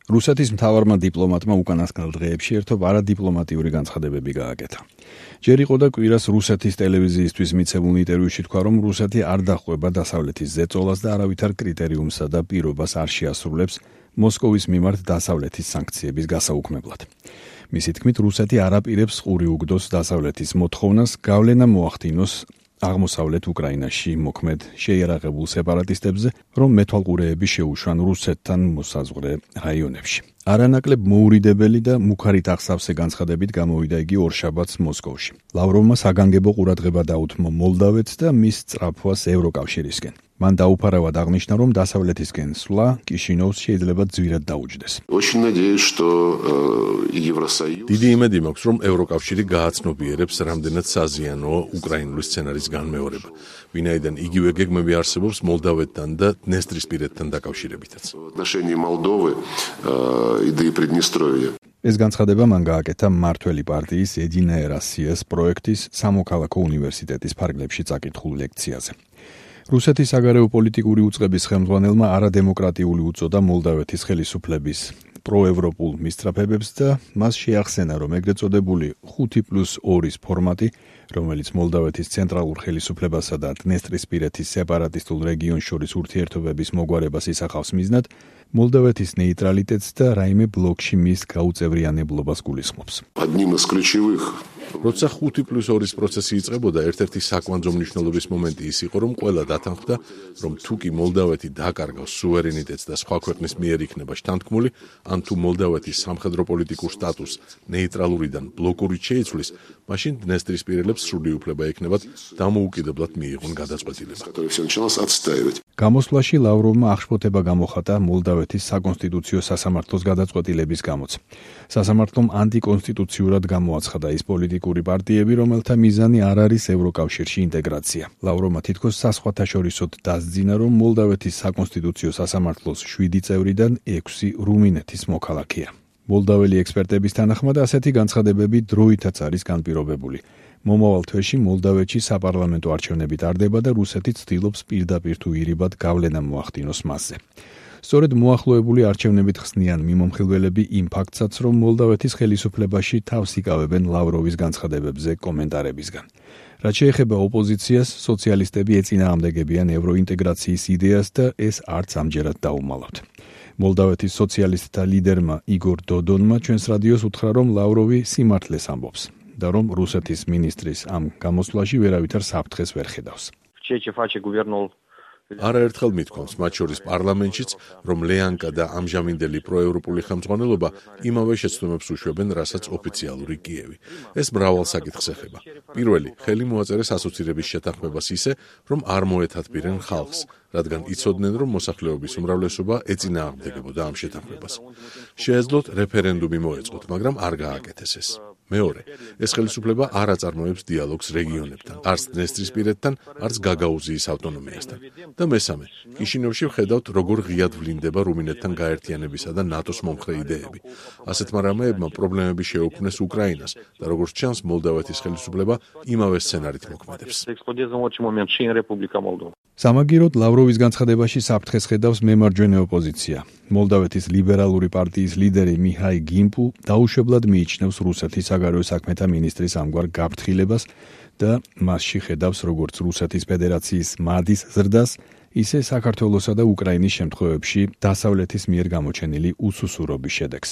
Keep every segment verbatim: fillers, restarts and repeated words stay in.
რუსეთის მთავარმა დიპლომატმა უკანასკნელ დღეებში ერთობ არადიპლომატიური განცხადებები გააკეთა. ჯერ იყო და კვირას რუსეთის ტელევიზიისთვის მიცემულ ინტერვიუში თქვა, რომ რუსეთი არ დაჰყვება დასავლეთის ზეწოლას და არავითარ კრიტერიუმსა და პირობას არ შეასრულებს მოსკოვის მიმართ დასავლეთის სანქციების გასაუქმებლად. მისი თქმით, რუსეთი არ აპირებს ყური უგდოს დასავლეთის მოთხოვნას გავლენა მოახდინოს აღმოსავლეთ უკრაინაში მოქმედ შეიარაღებულ სეპარატისტებზე, რომ მეთვალყურეები შეუშვან რუსეთთან მოსაზღვრე რაიონებში. არანაკლებ მოურიდებელი და მუქარით აღსავსე განცხადებით გამოვიდა იგი ორშაბათს მოსკოვში. ლავროვმა საგანგებო ყურადღება დაუთმო მოლდავეთს და მის სწრაფვას ევროკავშირისკენ. მან დაუფარავად აღნიშნა, რომ დასავლეთისკენ სვლა კიშინოვს შეიძლება ძვირად დაუჯდეს. დიდი იმედი მაქვს, რომ ევროკავშირი გააცნობიერებს რამდენად საზიანოა უკრაინული სცენარის განმეორება, ვინაიდან იგივე გეგმები არსებობს მოლდავეთთან და დნესტრისპირეთთან დაკავშირებითაც. ეს განცხადება მან გააკეთა მმართველი პარტიის ედინაე როსიას პროექტის სამოქალაქო უნივერსიტეტის ფარგლებში წაკითხულ ლექციაზე. რუსეთის საგარეო პოლიტიკური უწყების ხელმძღვანელმა არადემოკრატიული უწოდა მოლდავეთის ხელისუფლების პროევროპულ მისწრაფებებს და მას შეახსენა, რომ ეგრეთ წოდებული ხუთი პლუს ორი ფორმატი, რომელიც მოლდავეთის ცენტრალურ ხელისუფლებასა და დნესტრისპირეთის სეპარატისტულ რეგიონს შორის ურთიერთობების მოგვარებას ისახავს მიზნად, მოლდავეთის ნეიტრალიტეტს და რაიმე ბლოკში მის გაუწევრიანებლობას გულისხმობს. როცა ხუთი პლუს ორი პროცესი იწყებოდა, ერთ-ერთი საკვანძო მნიშვნელობის მომენტი ის იყო, რომ ყველა დათანხმდა, რომ თუ კი მოლდავეთი დაკარგავს სუვერენიტეტს და სხვა ქვეყნის მიერ იქნება შთანთქმული, ან თუ მოლდავეთის სამხედრო პოლიტიკურ სტატუსს ნეიტრალურიდან ბლოკურით შეიცვლის, მაშინ დნესტრისპირელებს სრული უფლება ექნებათ დამოუკიდებლად მიიღონ გადაწყვეტილება. გამოსვლაში ლავროვმა აღშფოთება გამოხატა მოლდავეთის საკონსტიტუციო სასამართლოს გადაწყვეტილების გამოც. სასამართლომ ანტიკონსტიტუციურად გამოაცხადა ის პოლიტიკური პარტიები, რომელთა მიზანი არ არის ევროკავშირში ინტეგრაცია. ლავროვმა თითქოს საზღვათაშორისოდ დასძინა, რომ მოლდავეთის საკონსტიტუციო სასამართლოს შვიდი წევრიდან ექვსი რუმინეთის მოქალაქეა. მოლდაველი ექსპერტების თანახმად ასეთი განცხადებები დროითაც არის განპირობებული. მომავალ თვეში მოლდავეთში საპარლამენტო არჩევნები ტარდება და რუსეთი ცდილობს პირდაპირ თუ ირიბად გავლენა მოახდინოს მასზე. სწორედ მოახლოებული არჩევნებით ხსნიან მიმომხილველები იმ ფაქტსაც, რომ მოლდავეთის ხელისუფლებაში თავს იკავებენ ლავროვის განცხადებებზე კომენტარებისგან. რაც შეეხება ოპოზიციას, სოციალისტები ეწინააღმდეგებიან ევროინტეგრაციის იდეას და ეს არც ამჯერად დაუმალავთ. მოლდავეთის სოციალისტთა ლიდერმა იგორ დოდონმა ჩვენს რადიოს უთხრა, რომ ლავროვი სიმართლეს ამბობს და რომ რუსეთის მინისტრის ამ გამოსვლაში ვერავითარ საფრთხეს ვერ ხედავს. არაერთხელ მithქვამს, მათ შორის პარლამენტშიც, რომ ლეანკა და ამჟამინდელი პროევროპული ხელმძღვანელობა იმავე შეცდომებს უშვებენ, რასაც ოფიციალური კიევი. ეს მრავალ საკითხს ეხება. პირველი, ხელი მოაწერეს ასოცირების შეთანხმებას ისე, რომ არ მოეთათბირენ ხალხს, რადგან იცოდნენ, რომ მოსახლეობის უმრავლესობა ეწინააღმდეგებოდა ამ შეთანხმებას. შეეძლოთ რეფერენდუმი მოეწყოთ, მაგრამ არ გააკეთეს ეს. მეორე, ეს ხელისუფლება არ აწარმოებს დიალოგს რეგიონებთან, არც დნესტრისპირეთთან, არც გაგაუზიის ავტონომიასთან. და მესამე, კიშინოვში ვხედავთ, როგორ ღიად ვლინდება რუმინეთთან გაერთიანებისა და ნატოს მომხრე იდეები. ასეთმა რამეებმა პრობლემები შეუქმნეს უკრაინას და როგორც ჩანს, მოლდავეთის ხელისუფლება იმავე სცენარით მოქმედებს. სამაგიეროდ ლავროვის განცხადებაში საფრთხეს ხედავს მემარჯვენე ოპოზიცია. მოლდავეთის ლიბერალური პარტიის ლიდერი მიჰაი გიმპუ დაუშვებლად მიიჩნევს რუსეთის საგარეო საქმეთა მინისტრის ამგვარ გაფრთხილებას და მასში ხედავს როგორც რუსეთის ფედერაციის მადის ზრდას, ისე საქართველოსა და უკრაინის შემთხვევებში დასავლეთის მიერ გამოჩენილი უსუსურობის შედეგს.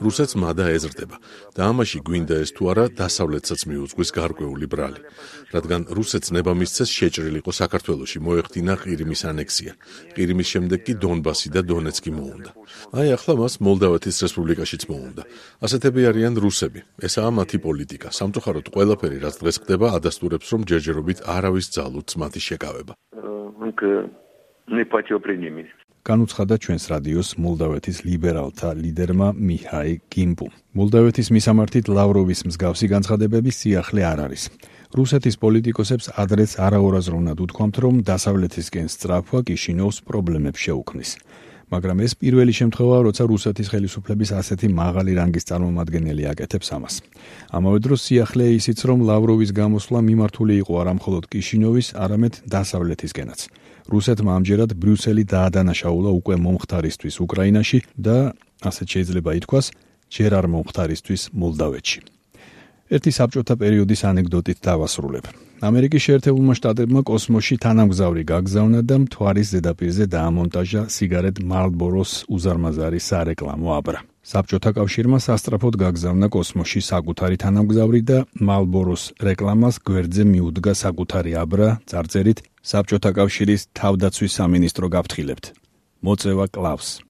რუსეთს მადა ეზრდება და ამაში გვინდა ეს თუ არა დასავლეთსაც მიუძღვის გარკვეული ბრალი, რადგან რუსეთს ნება მისცეს შეჭრილიყო საქართველოში, მოეხდინა ყირიმის ანექსია. ყირიმის შემდეგ კი დონბასი და დონეცკი მოუნდა. აი ახლა მას მოლდავეთის რესპუბლიკაშიც მოუნდა. ასეთები არიან რუსები. ესაა მათი პოლიტიკა. სამწუხაროდ ყველაფერი, რაც დღეს ხდება, ადასტურებს, რომ ჯერჯერობით არავის ძალუც მათი შეკავება. განუცხადა ჩვენს რადიოს მოლდავეთის ლიბერალთა ლიდერმა მიჰაი გიმპუ. მოლდავეთის მისამართით ლავროვის მსგავსი განცხადებების სიახლე არ არის. რუსეთის პოლიტიკოსებს ადრეც არაორაზროვნად უთქვამთ, რომ დასავლეთისკენ სწრაფვა კიშინოვს პრობლემებს შეუქმნის. მაგრამ ეს პირველი შემთხვევაა, როცა რუსეთის ხელისუფლების ასეთი მაღალი რანგის წარმომადგენელი აკეთებს ამას. ამავე დროს სიახლეა ისიც, რომ ლავროვის გამოსვლა მიმართული იყო არა მხოლოდ კიშინოვის, არამედ დასავლეთისკენაც. რუსეთმა ამჯერად ბრიუსელი დაადანაშაულა უკვე მომხდარისთვის უკრაინაში და, ასეთ შეიძლება ითქვას, ჯერ არ მომხდარისთვის მოლდავეთში. ერთი საბჭოთა პერიოდის ანეკდოტით დავასრულებ. ამერიკის შეერთებულმა შტატებმა კოსმოსში თანამგზავრი გაგზავნა და მთვარის ზედაპირზე დაამონტაჟა სიგარეტ Marlboro-ს უზარმაზარი სარეკლამო აბრა. საბჭოთა კავშირმა სასწრაფოდ გაგზავნა კოსმოსში საკუთარი თანამგზავრი და Marlboro-ს რეკლამას გვერდზე მიუდგა საკუთარი აბრა წარწერით საბჭოთა კავშირის თავდაცვის სამინისტრო გაფრთხილებთ. მოწევა კლავს.